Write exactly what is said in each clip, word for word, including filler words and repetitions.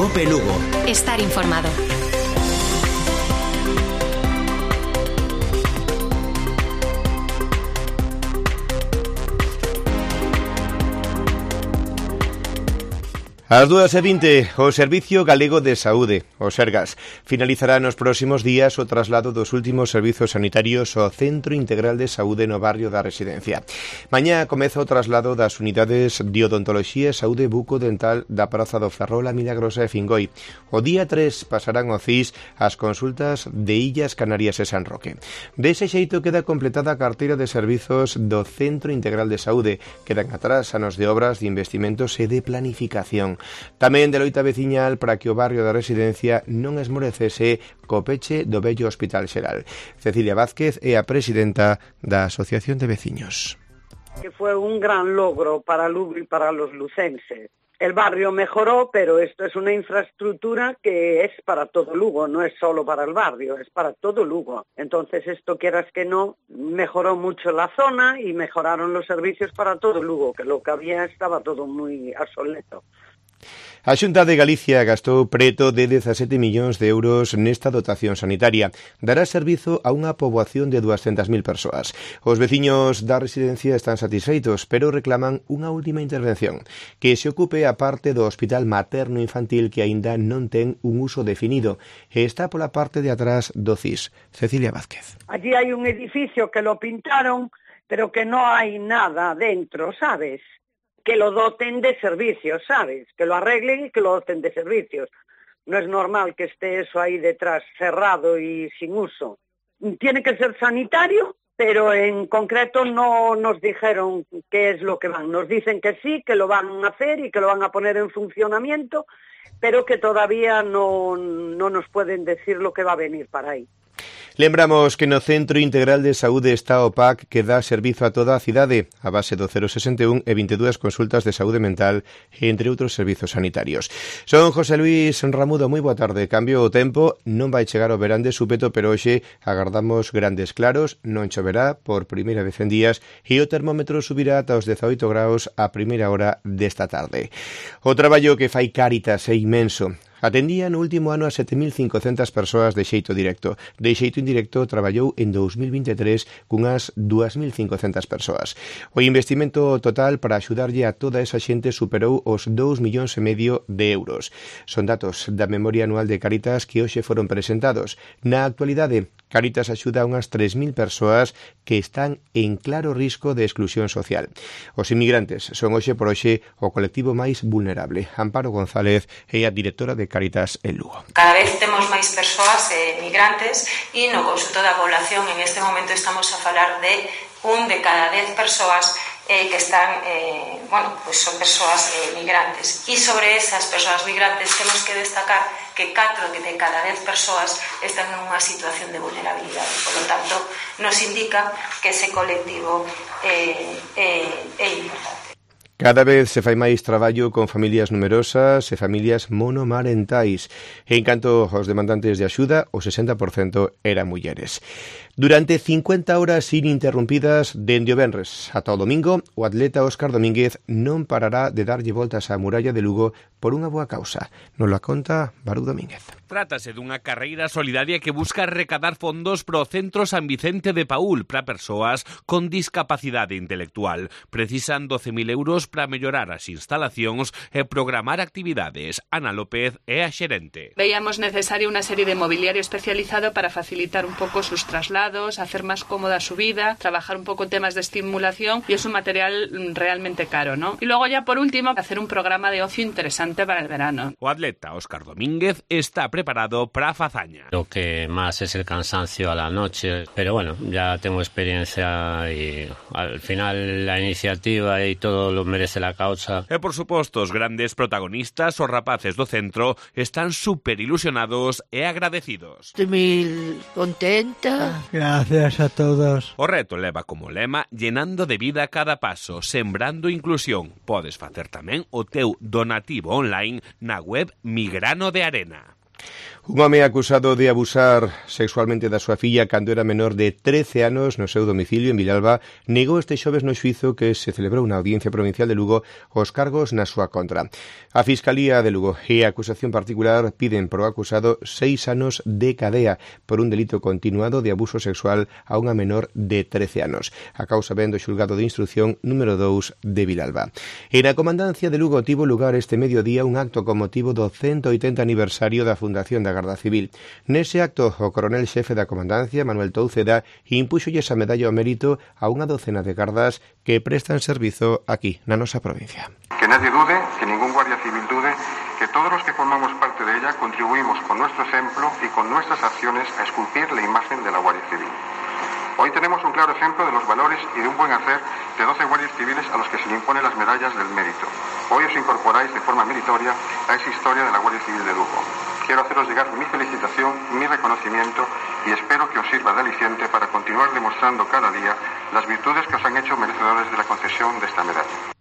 COPE Lugo. Estar informado. Ás dúas e vinte, o Servicio Galego de Saúde, o Sergas, finalizará nos próximos días o traslado dos últimos servizos sanitarios ao Centro Integral de Saúde no barrio da Residencia. Mañá comeza o traslado das unidades de odontoloxía e saúde bucodental da Praza do Ferrol, a Milagrosa e Fingoi. O día tres pasarán ao C I S as consultas de Illas Canarias e San Roque. Dese xeito queda completada a carteira de servizos do Centro Integral de Saúde. Quedan atrás anos de obras de investimentos e de planificación. Tamén de loita veciñal para que o barrio da Residencia non esmorecese co peche do vello Hospital Xeral. Cecilia Vázquez é a presidenta da Asociación de Veciños. Que fue un gran logro para Lugo y para los lucenses. El barrio mejoró, pero esto es una infraestructura que es para todo Lugo, no es solo para el barrio, es para todo Lugo. Entonces esto, quieras que no, mejoró mucho la zona y mejoraron los servicios para todo Lugo, que lo que había estaba todo muy obsoleto. A Xunta de Galicia gastou preto de dezasete millóns de euros nesta dotación sanitaria. Dará servizo a unha poboación de duascentas mil persoas. Os veciños da residencia están satisfeitos, pero reclaman unha última intervención, que se ocupe a parte do hospital materno-infantil que aínda non ten un uso definido e está pola parte de atrás do C I S. Cecilia Vázquez. Allí hai un edificio que lo pintaron, pero que no hai nada dentro, ¿sabes? Que lo doten de servicios, ¿sabes? Que lo arreglen y que lo doten de servicios. No es normal que esté eso ahí detrás cerrado y sin uso. Tiene que ser sanitario, pero en concreto no nos dijeron qué es lo que van. Nos dicen que sí, que lo van a hacer y que lo van a poner en funcionamiento, pero que todavía no, no nos pueden decir lo que va a venir para ahí. Lembramos que no Centro Integral de Saúde está o P A C que dá servizo a toda a cidade a base do cero sesenta e un e vinte e dúas consultas de saúde mental entre outros servizos sanitarios. Son José Luis Ramudo, moi boa tarde. Cambio o tempo, non vai chegar o verán de súpeto, pero hoxe agardamos grandes claros, non choverá por primeira vez en días e o termómetro subirá ata os dezaoito graus a primeira hora desta tarde. O traballo que fai Cáritas é inmenso. Atendía no último ano a sete mil cincocentas persoas de xeito directo. De xeito indirecto traballou en dous mil vinte e tres cunhas dúas mil cincocentas persoas. O investimento total para axudarlle a toda esa xente superou os dous millóns e medio de euros. Son datos da memoria anual de Cáritas que hoxe foron presentados. Na actualidade, Cáritas axuda a unhas tres mil persoas que están en claro risco de exclusión social. Os inmigrantes son hoxe por hoxe o colectivo máis vulnerable. Amparo González é a directora de Cáritas en Lugo. Cada vez temos máis persoas eh, migrantes e no consulto da población en este momento estamos a falar de un de cada dez persoas eh, que están, eh, bueno, pues son persoas eh, migrantes. E sobre esas persoas migrantes temos que destacar que catro de cada dez persoas están en unha situación de vulnerabilidade. Por lo tanto, nos indica que ese colectivo eh, eh, é importante. Cada vez se fai máis traballo con familias numerosas e familias monomarentais. En canto aos demandantes de axuda, o sesenta por cento eran mulleres. Durante cincuenta horas ininterrumpidas dende o venres ata o domingo, o atleta Óscar Domínguez non parará de darlle voltas á muralla de Lugo por unha boa causa. Nos la conta Barú Domínguez. Trátase dunha carreira solidaria que busca recadar fondos pro Centro San Vicente de Paúl para persoas con discapacidade intelectual. Precisan doce mil euros para mellorar as instalacións e programar actividades. Ana López é a xerente. Veíamos necesario unha serie de mobiliario especializado para facilitar un pouco sus traslados, hacer más cómoda su vida, trabajar un poco temas de estimulación, y es un material realmente caro, ¿no? Y luego ya por último, hacer un programa de ocio interesante para el verano. O atleta Óscar Domínguez está preparado para a fazaña. Lo que más es el cansancio a la noche, pero bueno, ya tengo experiencia y al final la iniciativa y todo lo merece la causa. E por suposto, os grandes protagonistas, os rapaces do centro, están super ilusionados e agradecidos. Estoy muy contenta. Gracias a todos. O reto leva como lema llenando de vida cada paso, sembrando inclusión. Podes facer tamén o teu donativo online na web Migrano de Arena. Un home acusado de abusar sexualmente da súa filla cando era menor de trece anos no seu domicilio en Vilalba negou este xoves no xuízo que se celebrou na Audiencia Provincial de Lugo os cargos na súa contra. A Fiscalía de Lugo e a acusación particular piden pro acusado seis anos de cadea por un delito continuado de abuso sexual a unha menor de trece anos. A causa ven do xulgado de instrucción número dous de Vilalba. E na Comandancia de Lugo tivo lugar este mediodía un acto con motivo do ciento oitenta aniversario da fundación da Garda Civil. Nese acto, o coronel xefe da Comandancia, Manuel Touceda, impúxolles a medalla ao mérito a unha docena de gardas que prestan servizo aquí, na nosa provincia. Que nadie dude, que ningún guardia civil dude, que todos los que formamos parte de ella contribuimos con nuestro ejemplo y con nuestras acciones a esculpir la imagen de la Guardia Civil. Hoy tenemos un claro ejemplo de los valores y de un buen hacer de doce guardias civiles a los que se le imponen las medallas del mérito. Hoy os incorporáis de forma meritoria a esa historia de la Guardia Civil de Lugo. Quiero haceros llegar mi felicitación, mi reconocimiento y espero que os sirva de aliciente para continuar demostrando cada día las virtudes que os han hecho merecedores de la concesión de esta medalla.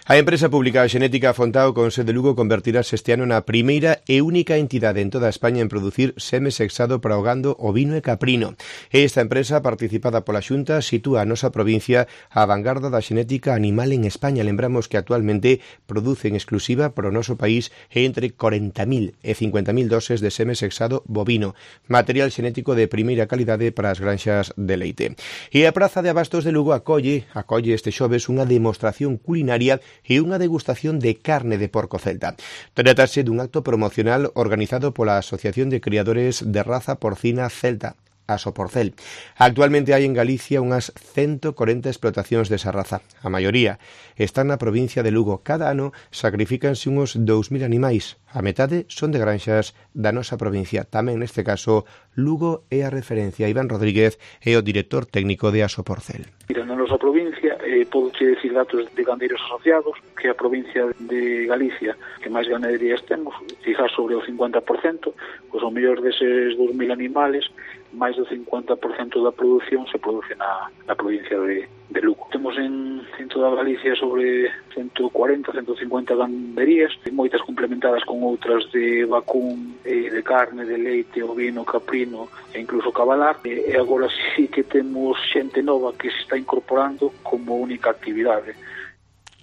A empresa pública Xenética Fontao con sede Lugo convertirase este ano na primeira e única entidade en toda España en producir seme sexado para o gando ovino e caprino. Esta empresa, participada pola Xunta, sitúa a nosa provincia a vanguarda da xenética animal en España. Lembramos que actualmente produce en exclusiva para o noso país entre corenta mil e cincuenta mil doses de seme sexado bovino, material xenético de primeira calidade para as granxas de leite. E a Praza de Abastos de Lugo acolle, acolle este xoves unha demostración culinaria e unha degustación de carne de porco celta. Trátase dun acto promocional organizado pola Asociación de Criadores de Raza Porcina Celta, a Soporcel. Actualmente hai en Galicia unhas ciento corenta explotacións desa raza. A maioría están na provincia de Lugo. Cada ano sacrifícanse uns dous mil animais. A metade son de granxas da nosa provincia. Tamén neste caso, Lugo é a referencia. Iván Rodríguez é o director técnico de Asoporcel. Mira, na nosa provincia, eh, podo che decir datos de gandeiros asociados, que a provincia de Galicia que máis ganaderías temos, quizás sobre o cincuenta por cento, pois o mellor deses dous mil animales, máis do cincuenta por cento da produción se produce na, na provincia de, de Lugo. Temos en, en toda Galicia sobre ciento cuarenta, ciento cincuenta ganderías, moitas complementadas con outras de vacún, eh, de carne, de leite, ovino, caprino e incluso cabalar. E, e agora sí que temos xente nova que se está incorporando como única actividade.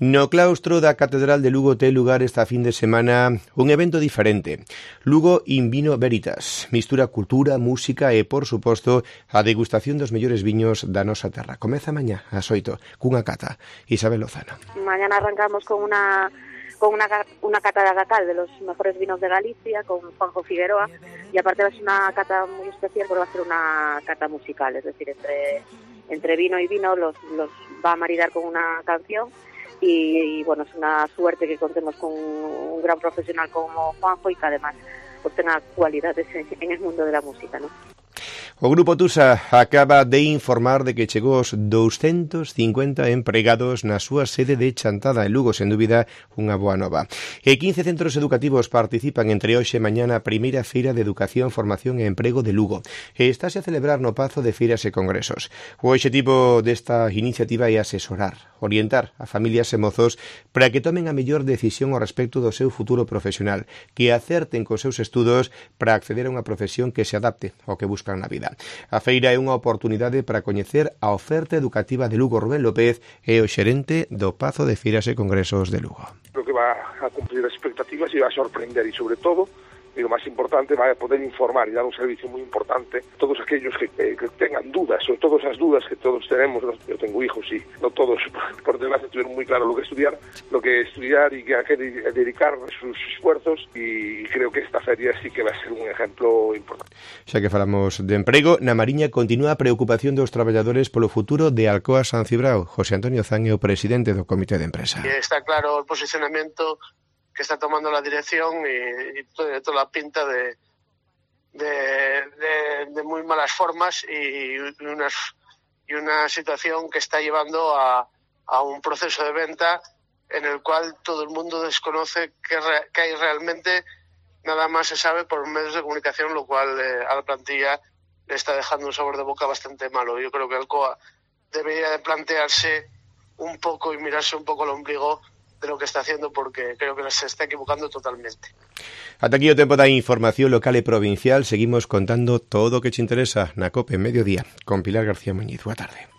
No claustro da Catedral de Lugo ten lugar esta fin de semana un evento diferente. Lugo in Vino Veritas. Mistura cultura, música e, por suposto, a degustación dos mellores viños da nosa terra. Comeza mañá ás oito, cunha cata. Isabel Lozano. Mañana arrancamos con una con una, una cata de agacal de los mejores vinos de Galicia, con Juanjo Figueroa, y aparte va a ser una cata muy especial porque va a ser una cata musical, es decir, entre, entre vino y vino los, los va a maridar con una canción. Y, y bueno, es una suerte que contemos con un gran profesional como Juanjo y que además pues tenga cualidades en, en el mundo de la música, ¿no? O Grupo Tusa acaba de informar de que chegou os doscientos cincuenta empregados na súa sede de Chantada en Lugo, sen dúbida unha boa nova. E quince centros educativos participan entre hoxe e mañá na primeira feira de Educación, Formación e Emprego de Lugo. E estáse a celebrar no Pazo de Feiras e Congresos. O obxectivo desta iniciativa é asesorar, orientar a familias e mozos para que tomen a mellor decisión ao respecto do seu futuro profesional, que acerten cos seus estudos para acceder a unha profesión que se adapte ao que buscan na vida. A feira é unha oportunidade para coñecer a oferta educativa de Lugo. Rubén López é o xerente do Pazo de Feiras e Congresos de Lugo. Creo que va a cumplir as expectativas e va a sorprender e, sobre todo, y lo más importante, va a poder informar y dar un servicio muy importante a todos aquellos que, que, que tengan dudas, sobre todo esas dudas que todos tenemos. Yo tengo hijos y no todos, por desgracia, tuvieron muy claro lo que estudiar, lo que estudiar y que a qué dedicar sus esfuerzos, y creo que esta feria sí que va a ser un ejemplo importante. Xa que falamos de emprego, na Mariña continúa a preocupación dos traballadores polo futuro de Alcoa San Cibrao. José Antonio Zan é o presidente do Comité de Empresa. Está claro o posicionamiento que está tomando la dirección y, y toda, toda la pinta de, de, de, de muy malas formas y, y, unas, y una situación que está llevando a, a un proceso de venta en el cual todo el mundo desconoce qué, qué hay realmente. Nada más se sabe por medios de comunicación, lo cual eh, a la plantilla le está dejando un sabor de boca bastante malo. Yo creo que Alcoa debería de plantearse un poco y mirarse un poco el ombligo de lo que está haciendo, porque creo que se está equivocando totalmente. Ata aquí o tempo da información local e provincial. Seguimos contando todo o que te interesa na COPE Mediodía con Pilar García Muñiz. Boa tarde.